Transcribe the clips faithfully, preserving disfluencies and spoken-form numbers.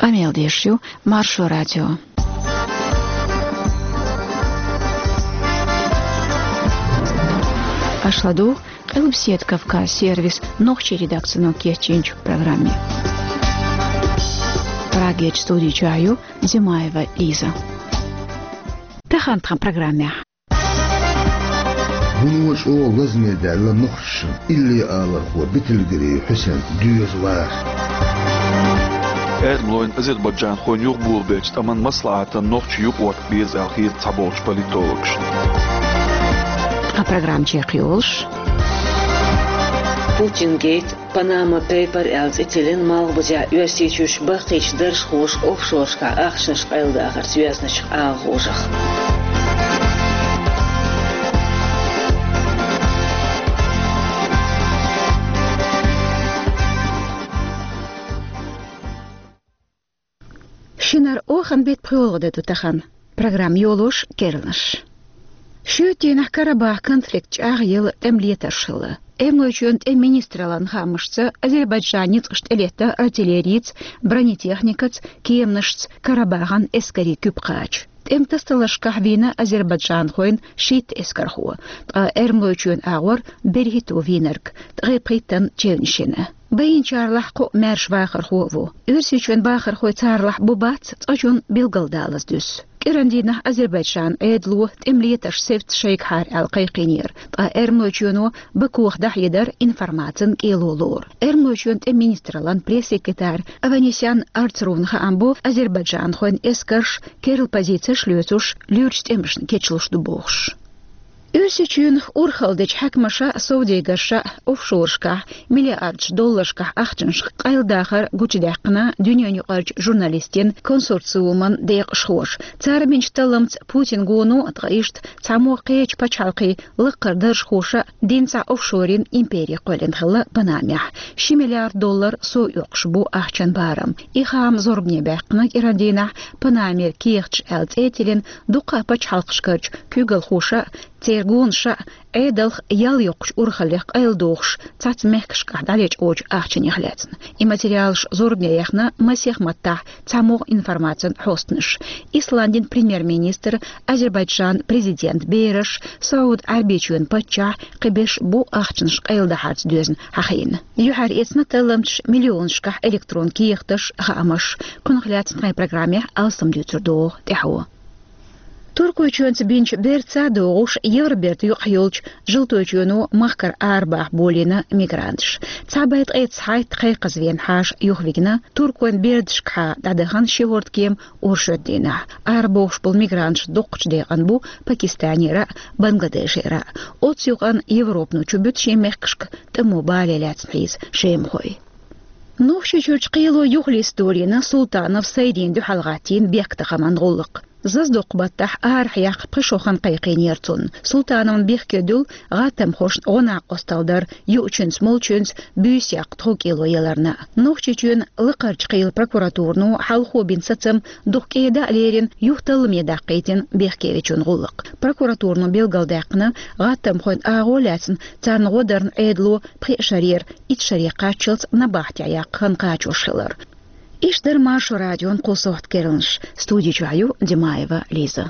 Къамел деш ю Маршо радио. Аша ладугӀу Къилбаседа Кавказ сервисан нохчийн редакцино кечйинчу программе. Прагерчу студи чохь ю Димаева Лиза. Тахана тхан программехь. Вуно чӀогӀа лазаме даьлла нохчашна илли алархо Бетелгерей Хьусен доьза вар. Эрмалойн, азербайджанхойн юхаболабеллачу тӀаман маслаӀатан нохчийн юкъаралла беза аьлла хета цхьаболчу политологашна. Тхан программа чекхйолуш: Путин гейт, Панама Пейпер аьлла цӀе тиллина Малхбузехь Оьрсийчуьрчу баккхийчу даржхоша офшорашкахь ахчанаш къайладахарца йоьзначу агӀонех. Шинара оханан беттан пхоьалгӀа де ду тахана. Программа йолош, керланаш. Шоьтан дийнахь Карабах конфликт чӀагӀъелла тӀеман летарш хилла. Эрмалойчоьнан тӀеман министраллин хаамашца, Азербайджанан ницкъаша тӀелетта артиллерийца, бронетехникаца, кеманашца Карабахана эскарийн куьпа кхача. ТӀеман тасадаларшкахь вийна азербайджанхойн шийтта эскархо, ткъа Эрмалойчоьнан агӀор берхӀитто вийнарг, ткъе пхийттанна чевнаш йина. Байинчарлахь кхоъ маьрша вахархо а ву. Оьрсийчоьнан бахархой царлахь бу-бац цкъачунна билгалдалаза дуьсу. КӀиранан дийнахь Азербайджанан Ӏедало тӀеман летарш севцца шайгахьара аьлла кхайкхийнера, ткъа Эрмалойчоьно Бакух дӀахьедар информацин кӀело лору. Эрмалойчоьнан тӀеман министраллин пресс-секретарь Аванесян Арцруна хаам бу, азербайджанхойн эскарш керла позицеш лоьцуш, луьрачу тӀемашна кечлуш ду бохуш. Оьрсийчоьнах урхалла дечу хьаькамаша а, совдегарша а офшорашкахь миллиардаш долларшкахь ахчанаш къайладахар гучудаьккхина дуьненан юкъарчу журналистийн консорциуман декъашхоша. Цара бинчу талламца Путин гоно а, ткъа иштта цхьаммо кхечу пачхьалкхийн лаккхара даржхоша а дина цхьа офшорийн импери кхоьллина хилла Панамехь. Ши миллиард доллар сов оьккхуш бу ахчан барам. И хаам зорбане баьккхина кӀиранан дийнахь Панамера кехаташ аьлла цӀе а тиллина дуккха а пачхьалкхашкарчу куьйгалхоша а, церан гонаша а Ӏедалх ял йоккхучу урхаллех къайладохуш цхьацца мехкашкахь дӀалечкъочу ахчанех лаьцна. И материалаш зорбане яьхна масех маттахь цхьамогӀа информацин хьостанаш. Исландин премьер-министр, Азербайджанан президентан бераш, СаӀуд-Ӏаьрбийчоьнан паччахь, кхин берш бу ахчанаш къайладахарца доьзна хьахийна. Юьхьар эцна талламчаша миллионашкахь электрон кехаташ, хаамаш. Кхунах лаьцна тхайн программехь алсам дуьйцур догӀу тӀаьхьо. Туркойчоьнца бинчу бердаца а догӀуш, Евроберда юкъахь йолчу Желтойчоьно махкара арабаха болийна мигранташ. Цхьа бӀе ткъе цхьайтта кхайкхаза вена хьаша юхавигна, туркойн бердашкахьа дӀадахана ши хӀордкема оршотан дийнахь. Арабохуш болу мигранташ дуккхачу декъана бу Пакистанера а, Бангладешера а. Оццу юкъана Европано чубуьту шен мехкашка тӀамо бале лаьцна хьийза шемахой. Нохчийчуьрчу кхело юхалиста долийна Султанов Сайдина дуьхьал гӀаттийна бехктакхаман гӀуллакх. Зазадоккху баттахь арахь яккха пхи шо хан кхайкхийнера цунна. Султановна бехке дуьллу гӀаттамхошна гӀо-накъосталла дар юучуьнца, молчуьнца буьйса яккха тхов кӀело яларна. Нохчийчоьнан Лакхарчу кхелан прокуратурано хьалхо бина сацам дукха кӀеда а лерина, юха талламе даккхийтина бехкевечун гӀуллакх. Прокуратурано билгалдаьккхина, гӀаттамхойн агӀо лаьцна царна гӀо дарна Ӏедало пхи шарера итт шаре кхаччалц набахтехь яккха хан кхачош хилар. Иштта дара Маршо радион кху сохьта керланаш. Студи чохь ю Димаева Лиза.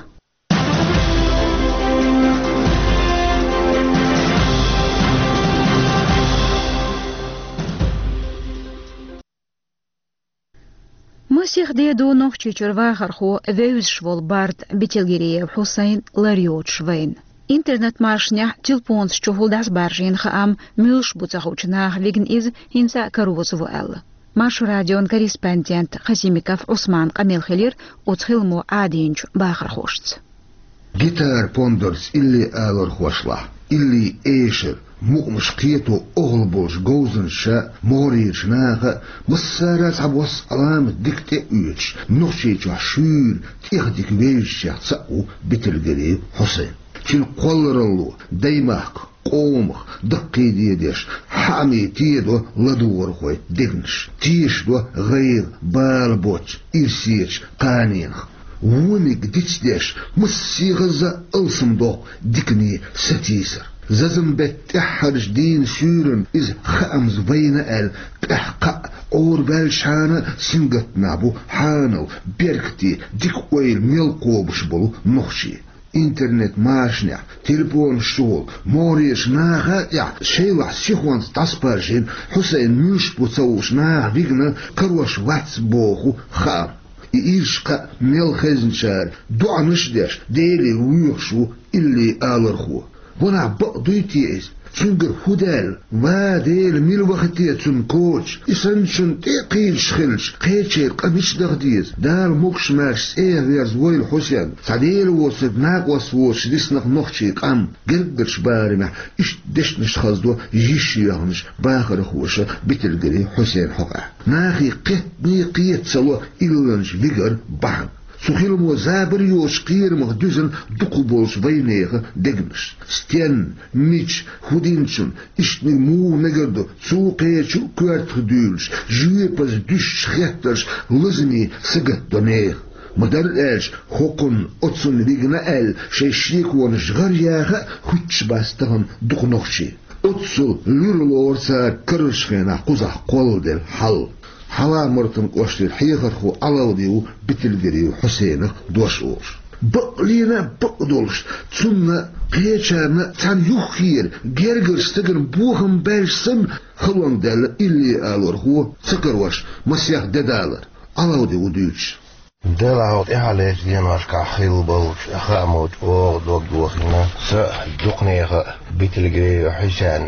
Масех де ду Нохчийчуьра вахархо, вевзаш волу барда Бетелгериев Хьусайн лар йоцуш вайна. Интернет-машанехь телефонаш чухула дӀасабаржийна хаам муьлш бу ца хуучу наха вигна иза, хӀинца а кароза ву аьлла. Маршо радион корреспондент Хасимиков Ӏусман къамел хилира оцу хиламо Ӏадийначу бахархошца. Гитара пондарца илли алархошлахь, илли эшар, мукъамаш кхето охьал болчу говзанчаша а, могӀарерчу наха а массара а цхьабосса Ӏаламат дика тӀе а оьцуш, Нохчийчохь шуьйра тӀех дика вевзачех цхьаъ ву Бетелгериев Хьусайн. Цуьнан кхолларалло даймахка, къомах даккхийдедеш, хьаъаме тедо ладогӀархойн дегнаш, тешадо гӀайгӀа, бала боцчу ирсерчу кханенах. Вониг дицдеш, массехаза алсамдоккху дикане сатийсар. Зазамбетта тӀаьххьарчу дийнан суьйранна иза хаамза вайна аьлла, тӀаьхьа кхаъ Ӏорабаьллачхьана сингаттамехь бу хьанал, беркате, дика ойла мел кхобуш болу нохчий. Интернет-машанехь, телефонаш чухула, могӀарерчу наха а тӀехь шайлахь сихонца дӀасапаржийна Хьусайн муьлш бу ца хууш наха вигна, карош вац боху хаам. И ирча кхаъ мел хезначара доӀанаш а деш, Деле воьхуш ву илли алархо. Ванах бакъ дуй те иза? Цуьнгара хӀун даьлла? Ва Дела, мила ваха те цунна коча? И санначунна тӀе а кхийдаш хилча, кхечеран къа мича даха деза? Дала могуш-маьрша цӀера верза войла Хьусен, цхьа Дела воцург накъост воцуш диснарг нохчийн къам. Гергарчу барамехь иштта дешнаш хаздо йиш йоьхначу бахархоша Битилгари Хьусен хьокъехь. Нахе кхеттане кхета ца ло илланча вигар бахьана. Цу хиламо забар йоцуш кхерамах дуьзна дукхахболчу вайнехан дегнаш. Стенна, мича, хӀун динчунна, иштаниг муха мегар ду, цул кхечу а коьртах дуьйлуш, жоьпаза дуьсуш хеттарш лазаме сагатдо нехан. Ма-дарра аьлча, хӀокхунна, оцунна вигна аьлла, шайн шеконаш гӀар яха а хуьттуш бац тахана дукха нохчий. Оццул луьра лору цара карарчу хенахь кхузахь кхолладелла хьал. Хьала-Мартан кӀоштара хьехархо Ӏалавди ву Битилгариев Хьусенах дош олуш. Бакълина а бакъдолуш, цунна кхечарна цхьана юххера гергарчу стагана бохам баьлча санна, халонга даьлла илли алархо ца карош масех де далар. Ӏалавди ву дуьйцуш. Делахь хьо тӀаьхьалерчу деношкахь хилла болчу хаамочу оха дог йохийна, сан а, дукханехан а Битилгариев Хьусен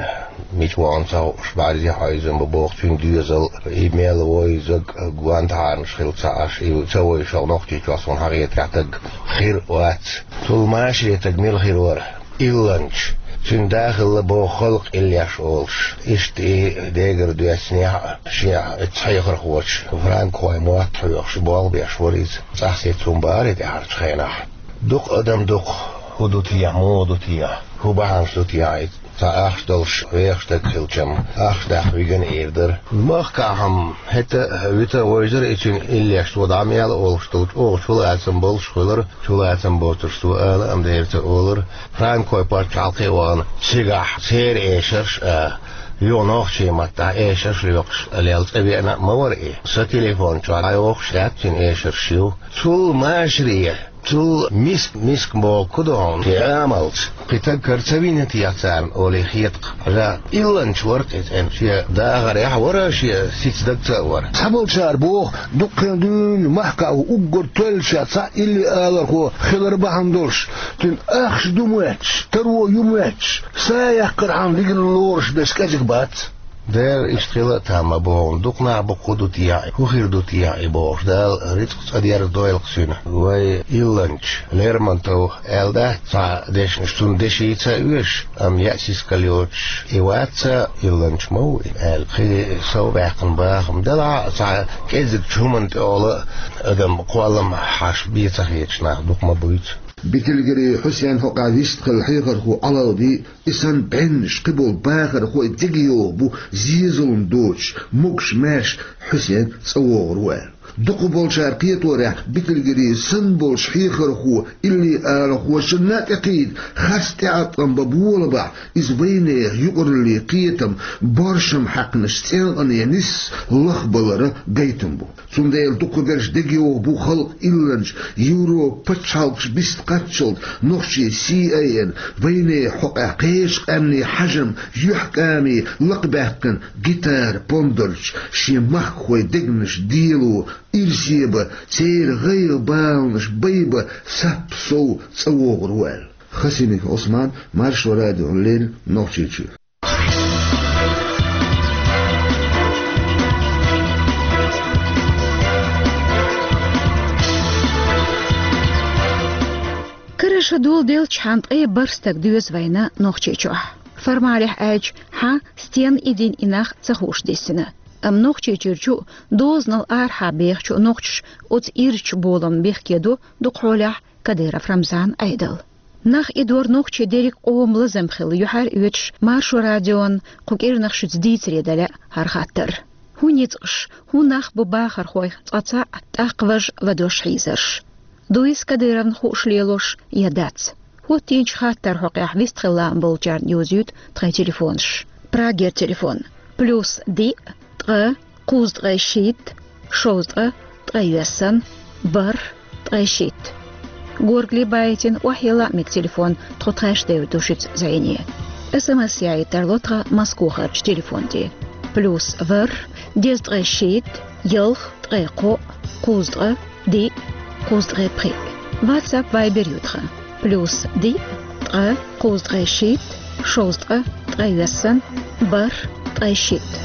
мича вахана ца хууш, бӀаьрзе хьойзам бу боху цуьнан доьзал, и мел вовзарг, гонахарнаш хилла ца Ӏаш, и ца вовзуш Нохчийчохь суна хьахетарехь стаг хир а вац. Цул машаре стаг мила хир вара? Илланча, цуьнан да хилла боху халкъ иллеш олуш. Иштта и дегара доьссинехь а, шен оцу хьехархочун, франкхойн мотт хьоьхуш, болх беш вара иза. ЦӀахь сецна хӀума бара и тӀаьхьарчу хенахь. Дукха адам дукха, хӀун ду техьа, муха ду техьа, хӀун бахьанаш ду техьа иза? Цхьа ахча долуш вехаш стаг хилча-м, ахча даккха вигна эр дара. Махкахь-м хӀета а, вита а вевзара и цуьнан иллеш, цо дӀа мел олуш долчу оха чулацам болуш хуьлура, чулацам боцурш цо ала а-м дера ца олура. Франкхойн пачхьалкхе а вахана, цигахь церан эшарш а, юха нохчийн маттахь эшарш лоькхуш лелла цӀа веана а ма вара и. Сан телефон чохь дӀайохуш яц цуьнан эшарш ю. Цул машаре, цул миска, миска боху ду хьуна, и Ӏамалца кхин стаг кара ца вина техьа царна олий хета-кх. Ткъа илланча вара-кх иза, шен дахарехь а вара, шен сица дагца а вара. Цхьаболчара боху, дуккха а дуьйна махкахь уггар тоьллачех цхьаъ илли алархо хилар бахьана долуш, цуьнан ахча ду моьттуш, таро ю моьттуш, са яккхархьама вигна лоруш берш кӀезиг бац. Дера, иштта хила а там ма бу хьуна, дукха нах бу, хӀун ду техьа, хӀун хир ду техьа и бохуш, Дала рицкъ цӀа дерзадойла-кх цуьнан. Вай илланча Лермонтов аьлла дац цхьа дешнаш, цунна дешица а оьшу, амма яа сискал йоцуш и вац, илланча ма ву и аьлла, кхин сов баьккхина бахам. Делахь а, цхьа кӀеззигчу хӀуманна тӀехула адам кхоллам хьаша бен ца хеташ нах дукха ма буьйцу. Битилгари Хьусен хьокъехь вистхилла хьехархо Ӏалавди и санна бӀеннаш кхиболу бахархой дегайовхо бу зен-зулам доцуш, могуш-маьрша Хьусен цӀа вогӀур ву аьлла. Дукхахболчара кхеторехь, Битилгари санна болчу хьехархо илли алархочунна а тӀекхийда харц тӀеӀаткъам бан болабахь, иза вайнехан юкъараллин кхетам, боршам хьаькхначу цӀенкъане нисса лахбаларан гайтам бу. Цундела дукхахберш дегайовхо бу халкъ илланча, Европан пачхьалкхаш биста кхаччалц нохчийн C I A-на вайнехан хьокъехь кхечу къаьмнийн хьажам, юьхькӀаме лакхабаьккхина гитара, пондарчу шен махкахойн дегнаш дело, ирсе бан, церан гӀайгӀа-баланаш байбан сап-сов цӀа вогӀур ву аьлла. Хасимиков Ӏусман, Маршо радиона леррина, Нохчийчоь. Карара ша доладелчхьана ткъе бархӀ стаг доьзна вайна Нохчийчохь. Формалехь аьлча, хьан, стенна и дина и нах ца хууш диссина. Амма Нохчийчуьрчу а, дозанал арахьа бехачу а нохчаша оцу ирчачу боламна бехке до дукха хьолехь Кадыров Рамзан Ӏедал. Нах и дор нохчийн дерриг къоман лазам хилла юьхьар а оьцуш, Маршо радион кху кӀирнах шуьца дийцаре дан лаьа хӀара хаттар. ХӀун ницкъаш, хӀун нах бу бахархойх цкъа цхьаъ, тӀаккха важа ладош хьийзарш? Дуй иза Кадыровна хууш лелош я дац? Оттийнача хаттара хьокъехь вистхила лаам болчарна йовзуьйту тхайн телефонаш. Прагера телефон: плюс диъ, ткъа, кхузткъе шийтта, шовзткъа, ткъе йоьссана, бархӀ, ткъе шийтта. Горгали байтина охьелла мега телефон, тхо тхаьш девр ду шуьца зӀене. СМС яйта тарло тхан Москохарчу телефон тӀе: плюс ворхӀ, дезткъе шийтта, ялх, ткъе кхоъ, кхузткъа, диъ, кхузткъе пхиъ. WhatsApp, Viber ю тхан: плюс диъ, ткъа, кхузткъе шийтта, шовзткъа, ткъе йоьссана, бархӀ, ткъе шийтта.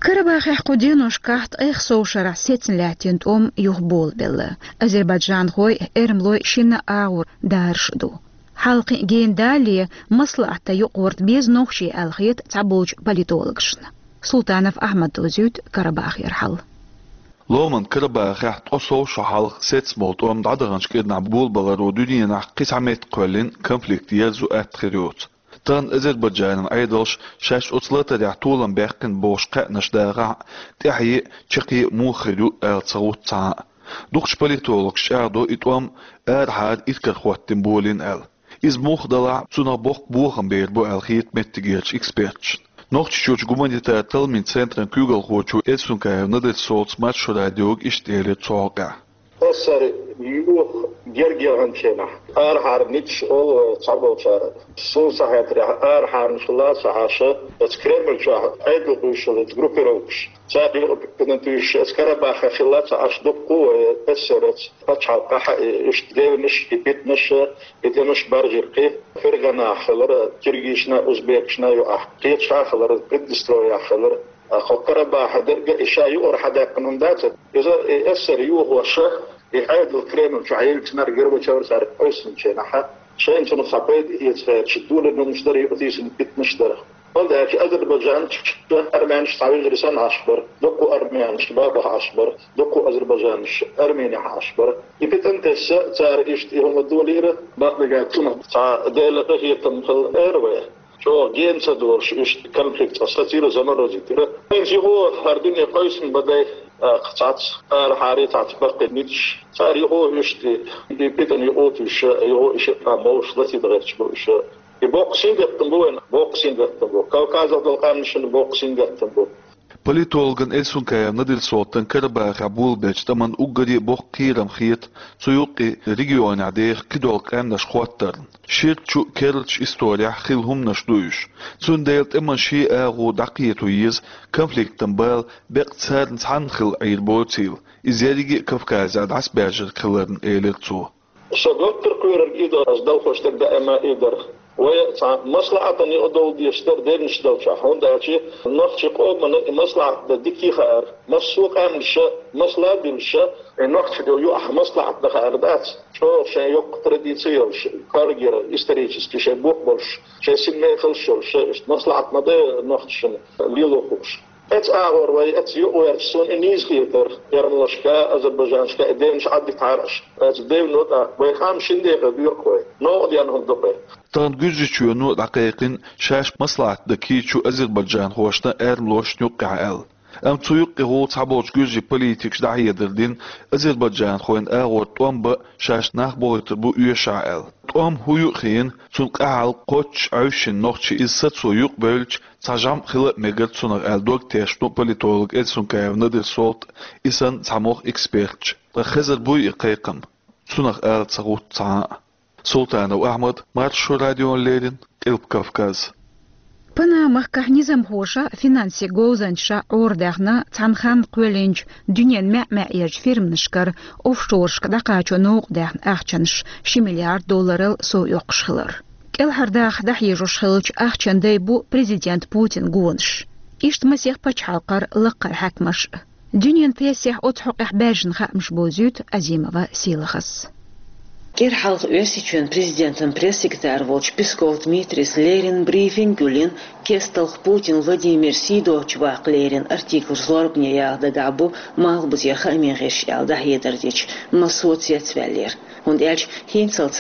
Карабахехь кху деношкахь ткъех сов шарахь сецна лаьттина тӀом юха болабелла. Азербайджанхой, эрмалой шинна агӀор дараш ду. Хьалкхин гена далале, маслаӀатта юкъагӀорта беза нохчий аьлла хета цхьаболчу политологашна. Султанов Ахьмада довзуьйту Карабахера хьал. Ломан Карабахехь ткъо сов шо хьалха сецна болу тӀом дӀадаханчу кӀирнахь болабаларо дуьненахь кхин цхьа метта кхоьллина конфликт ерзо атта хир йоцу. Тахана Азербайджанан Ӏедалша шаьш оцу латарехь толам баьккхина бохуш кхаьънаш дахахь а, тӀаьхье а, чаккхе а муха хир ю аьлла ца гӀутту цхьа а. Дукхачу политологаша чӀагӀдо и тӀом арахьара иракарахӀоттийна болийна аьлла. Иза муха далахь а, цунах боккха бохам бер бу аьлла хета меттигерчу эксперташна. Нохчийчуьрчу гуманитар талламийн центран куьйгалхочо Эльсункаев Надир-Солтас Маршо радиога иштта элира цу хьокъехь. Эсар юха герга яханчу хенахь, арахьара ницкъ олу вай цхьаболчара. Суна ца хетарехь, арахьарнаш ла ца Ӏаш, оцу Кремль чохь Ӏедал къуьйсуш йолу группировкаш, цара юкъа туьйсуш, оцу Карабахехь хилла ца Ӏаш, дуккха а вай эсар оцу пачхьалкхехь а, иштта девнаш, и питанаш, и тӀемаш баржийра кхин. Ферганахь хилира, киргизашна, узбекашна юкъахь, кхечахьа хилира, Приднестровьехь хилира. Хьо Карабахехь дерг а и ша юкъара хьадаьккхина хӀума дац, иза и эсар юхоша, и Ӏедал Кремль чохь йилгича, Горбачев цара къуьйсучу хенахь, шайна цунах цхьа пайда эца гӀерташ, долийна хӀуманаш дара, юкъатийсина питанаш дара. ХӀунда аьлча Азербайджанчу армянаш цхьа вежарий санна Ӏаш бара, дуккха армянаш Бабахь Ӏаш бара, дуккха азербайджанаш Арменехь Ӏаш бара. И питана тесна цара иштта и хӀума долийра, бакъдерг цунах цхьа Делан къинхетам хилла эр вай. ЧӀогӀа гена ца долуш, иштта конфликт цкъа сацийра, заморозить йира. ХӀинца юха хӀара дуьне къуьйсина бан дай, а, цхьацца арахьара, цхьацца баккхий ницкъаш. Цара юха иштта и питана юкъа туьйсуш, юха и шиъ а молуш латийна гӀерташ бу уьш. И боккха сингаттам бу вайна, боккха сингаттам бу. Кавказехь долу къаьмнашна боккха сингаттам бу. Политологан Эльсункаев Надир-Солтан Карабахехь болабеллачу тӀаман уггаре а боккха кхерам хета цу юккъе регионехь деха кхидолу къаьмнаш хӀоттарна. Ширачу а, керлачу а исторехь хилла хӀуманаш ду уьш. Цундела тӀеман шен агӀо дӀакхето еза, конфликтан бала беккъа царна цхьанна хилла Ӏийр боцийла, иза ерриге а Кавказехь дӀасабаьржарг хиларна, элира цо. Со готтар кхоьрург и ду, ас далхош дерг даима и дара. Вай цхьа маслаӀатана юкъа довла дезаш дара девнаш долчохь, хӀунда аьлча нохчийн къомана и маслаӀат дан дика хаьара, массо а къаьмнаша масала а дуьллуша, и нохчашна юкъахь маслаӀат дан хаьара дац, чӀогӀа шайн йоккха традици йолуш, кӀоргера, исторически шайн бух болуш, шайн синмехалла йолуш, иштта маслаӀат ма дан нохчашна лело хууш. Оцу агӀор вай оцу юкъа гӀерташ суна и нийса хетара, эрмалашка, азербайджанашка и девнаш Ӏаддитахьара аша. Оцу девно тӀаккха вай къам шина декъе доькъу вай, новкъа денна хӀума ду-кх вай. Тахана Гуьржийчоьно дӀакхайкхина шаьш маслаӀат дан кийча азербайджанхошна, эрмалошна юккъехь аьлла. Амма цу юккъе гӀолла цхьаболчу гуьржийн политикаша дӀахьедар дина, азербайджанхойн агӀор тӀом бан шаьш нах бохуьйтур бу оьшахь аьлла. ТӀом хӀун ю а хиъна, цунна къаьхьалла кхоччуш Ӏаьвшина нохчийн иза сацо юкъабевлча, цхьа жамӀ хила а мегар цунах аьлла дог тешна политолог Эльсункаев Надир-Солта, и санна цхьа могӀа эксперташа. Ткъа хезар буй и кхайкхам? Цунах ала ца гӀутту цхьа а. Султанов Ахьмад, Маршо радиона леррина, Къилба Кавказ. Панама-махкахь низамхоша, финансийн говзанчаша Ӏорадаьхна, цхьана ханна кхоьллинчу дуьненан маьӀ-маьӀӀерчу фирманашкара офшорашка дӀакхачо новкъадаьхна ахчанаш ши миллиард долларал сов йоккхуш хилар. КӀелхьардаха дӀахьежош хиллачу ахчанан дай бу президент Путинан гонаш. Иштта масех пачхьалкхара лакхара хьаькамаш а. Дуьненан прессехь оцу хьокъехь баьржина хаамаш бовзуьйту Азимова Сийлахьас. КӀира хьалха Оьрсийчоьнан президентан пресс-секретарь волчу Песков Дмитрийс леррина брифинг а йина, кест-талха Путин Владимир сий доцуш ваккха леррина артиклаш зорбане яха дагахь бу малхбузера хаамийн гӀирсаш аьлла дӀахьедар дича, массо а цецваьллера. ХӀунда аьлча хӀинццалц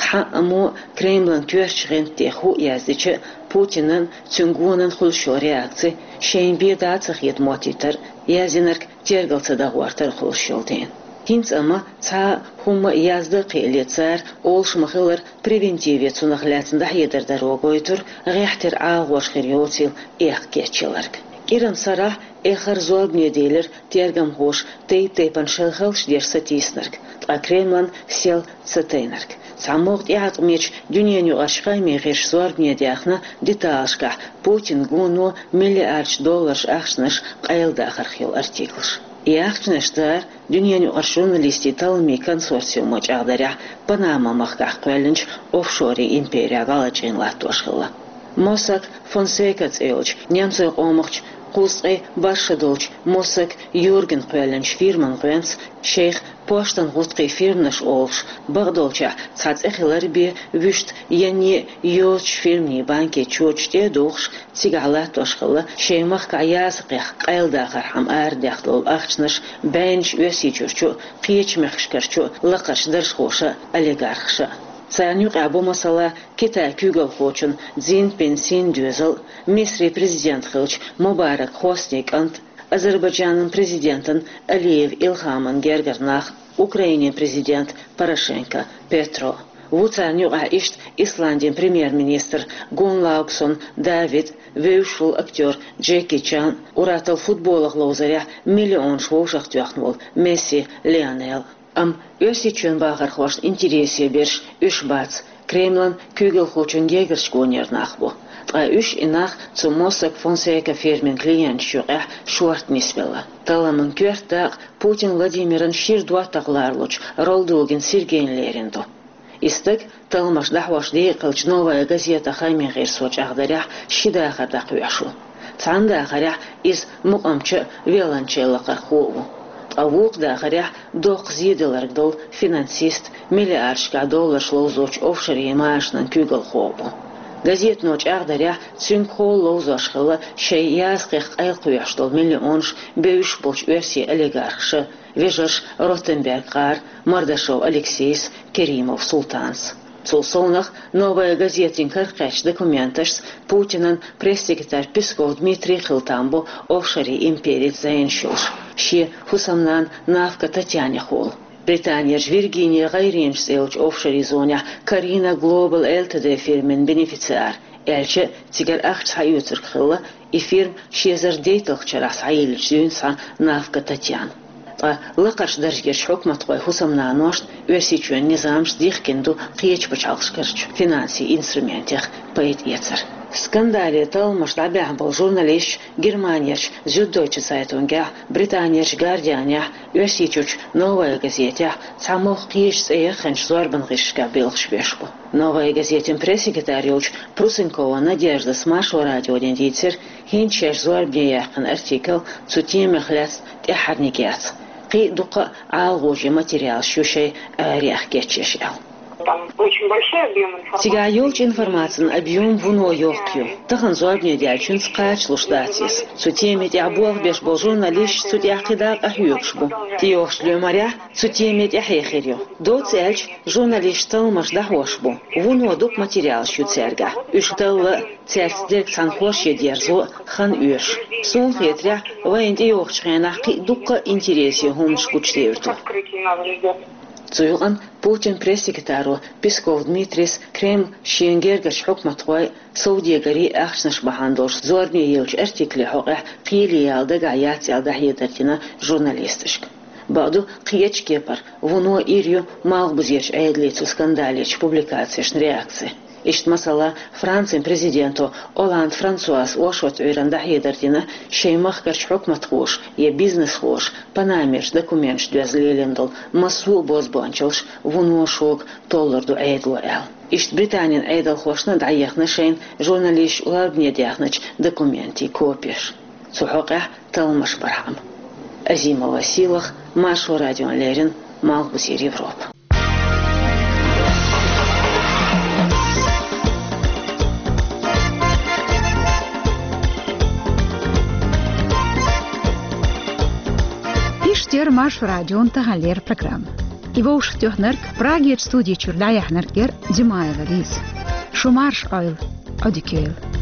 хьан а, мо а Кремлан коьртачу гӀанта тӀе хӀуъа яздича а, Путинан а, цуьнан гонан а хуьлуш йолу реакци шайна бен дӀа а ца хета моттийтар а, яздинарг тергал ца дан гӀортар а хуьлуш йолу дела. ХӀинца амма цхьа а хӀумма а яздан а кхиале, цара, олуш ма-хиллара, превентиве цунах лаьцна дӀахьедар даро гойтура, гӀеххьтера агӀор хир йоцийла эккха кечъяларг. КӀиран сарахь эххар зорбане делира тергамхоша тайп-тайпана шайх хьалха деш сатийсинарг, ткъа Кремлан сел ца тайнарг. ЦхьамогӀа тӀеӀаткъамечу дуьненаюкъарчу хаамийн гӀирсаша зорбане даьхна деталашкахь Путинан гоно миллиардаш долларш ахчанаш къайладахарх йолу артиклаш. И ахчанаш дара, дуьненаюкъарчу журналистийн талламийн консорциумо чӀагӀдарехь, Панама-махкахь кхоьллинчу офшорийн имперехь гӀалачӀийна латтош хилла. Mossack Fonseca цӀе йолчу немцойн къомахчу кхузткъе бархӀ шо долчу Mossack Юргена кхоьллинчу фирман гӀоьнца шайх поштан гӀутакхийн фирманаш олуш, бакъдолчехь цхьа цӀе хилар бен вуьшта янне а йоцучу фирмийн банкийн чоча тӀе а духуш, цигахь латтош хилла шайн махкахь язъяккха къайладахархьама арадаьхна долу ахчанаш, бӀеннаш Оьрсийчуьрчу а, кхечу мехкашкарчу а лакхарчу даржхоша а, олигархаша а. Царна юкъахь бу, масала, Китайн куьйгалхочун Цзиньпин Син доьзал, Мисрин президент хиллачу Мубарак Хоснин кӀант, Азербайджанан президентан Алиев Илхаман гергара нах, Украинин президент Порошенко Петро. Ву царна юкъахь иштта Исландин премьер-министр Гунлаугсон Давид, вевзаш волу актер Джеки Чан, уьттазза футболах ловзарехь миллионаш вовшахтоьхна волу Месси Лионел. Амма Оьрсийчоьнан бахархошна интересе берш уьш бац, Кремлан куьйгалхочун гергарчу гонера нах бу. Ткъа уьш, и нах, цу Mossack Fonseca фирмин клиенташна юкъахь шорта нисвелла. Талламан коьрта дакъа Путин Владимиран шира доттагӀа лоруш волчу Ролдугин Сергейна лерина ду. И стаг, талламаш дӀахьош декъалчу «Новая газета» хаамийн гӀирсо чӀагӀдарехь, ши дахар дӀакхоьхьуш ву. Цхьана дахарехь иза мукъамча а, виолончель лакхархо а ву. Ткъа вукху дахарехь доккха зен даларг долу финансист, миллиардашкахь долларш ловзочу офшорийн машанан куьйгалхо а ву. Газетано чӀагӀдарехь, цуьнгахула ловзош хилла шайн язъяккха къайлакхоьхьуш долу миллионаш бевзаш болчу оьрсийн олигархаша, вежарша Ротенберг-гӀара, Мордашов Алексейс, Керимов Султанс. Цул совнаха, «Новая газетин» карахь кхаьчначу документашца Путинан пресс-секретарь Песков Дмитрий хила там бу офшорийн империца зӀенаш йолуш, шен хӀусамнана Навка Татьянехула. Британерчу Виргиния ГӀайренаш цӀе йолчу офшорийн зонехь Карина Глобал Л Т Д фирмин бенефициар, аьлча а, цигара ахча схьаоьцург хилла и фирма ши эзар дейтталгӀачу шарахь схьайиллинчу дуьйна схьа Навка Татьяна. Ткъа лакхарчу даржерчу хьукматхойн хӀусамнаношна Оьрсийчоьнан низамаш дихкина ду кхечу пачхьалкхашкарчу финансийн инструментех пайда эцар. Скандале талламаш дӀабаьхьна болу журналисташ Германерчу Зюддойче Цайтунгехь, Британерчу Гардианехь, Оьрсийчуьрчу Новая газетехь, цхьамогӀа кхечу цӀе яхханчу зорбан гӀирсашкахь белхаш беш бу. «Новая газетин» пресс-секретарь йолчу Прусенкова Надеждас Маршо радионе дийцира, хӀинца шаьш зорбане яьккхина артикл цу темех лаьцна тӀаьххьарниг яц. Кхин а дуккха а ӀалагӀожа материалаш ю шайн арахь кечъеш аьлла. Там очень большой объём информации. Цигахь йолчу информацин объём вуно йоккха ю. Тахана зорбане даьллачуьнца кхачалуш дац иза. Цу теме тӀехь болх беш болу журналисташ цу тӀехь кхидӀа а къахьоьгуш бу. ТӀейогӀучу лоьмарехь цу теме тӀаьхье хир ю. Доцца аьлча, журналисташ талламаш дӀахьош бу. Вуно дукха материалаш ю цаьргахь. Уьш талла а, цаьрца дерг цхьаьна хорше дерзо а хан оьшу. Суна хетарехь, вайна тӀейогӀучу хенахь кхин а дуккха а интересан хӀуманаш гучудевр ду. Цу юкъана Путинан пресс-секретаро Песков Дмитрийс Кремль шена гергарчу хьукматхойн, совдегарийн ахчанаш бахьана долуш зорбане еллачу артикле хьокъехь кхеле яла дагахь яц аьлла дӀахьедар дина журналисташка. Бакъду, кхечу кепара, вуно ир ю малхбузерчу Ӏедале цу скандалечу публикацешна реакци. Иштта, масала, Францин президенто Олланд Франсуас оршот Ӏуьйранна дӀахьедар дина, шайн махкарчу хьукматхоша я бизнесхоша Панамерчу документашна доьзна лелийна долу массо а бозбуанчаллаш вуно шога толлур ду Ӏедало аьлла. Иштта Британин Ӏедалхошна дӀаехна шайна журналисташ зорбане даьхначу документийн копеш. Цу хьокъехь талламаш бархьама. Азимова Сийлаха, Маршо радиона леррина, Малхбузера Европа. Маршо радион тахан леррина программа. И вовшахтоьхнарг, Прагерчу студи чуьра дӀаяьхьнарг яра Димаева Лиза. Шу марша Ӏойла, Ӏодика йойла.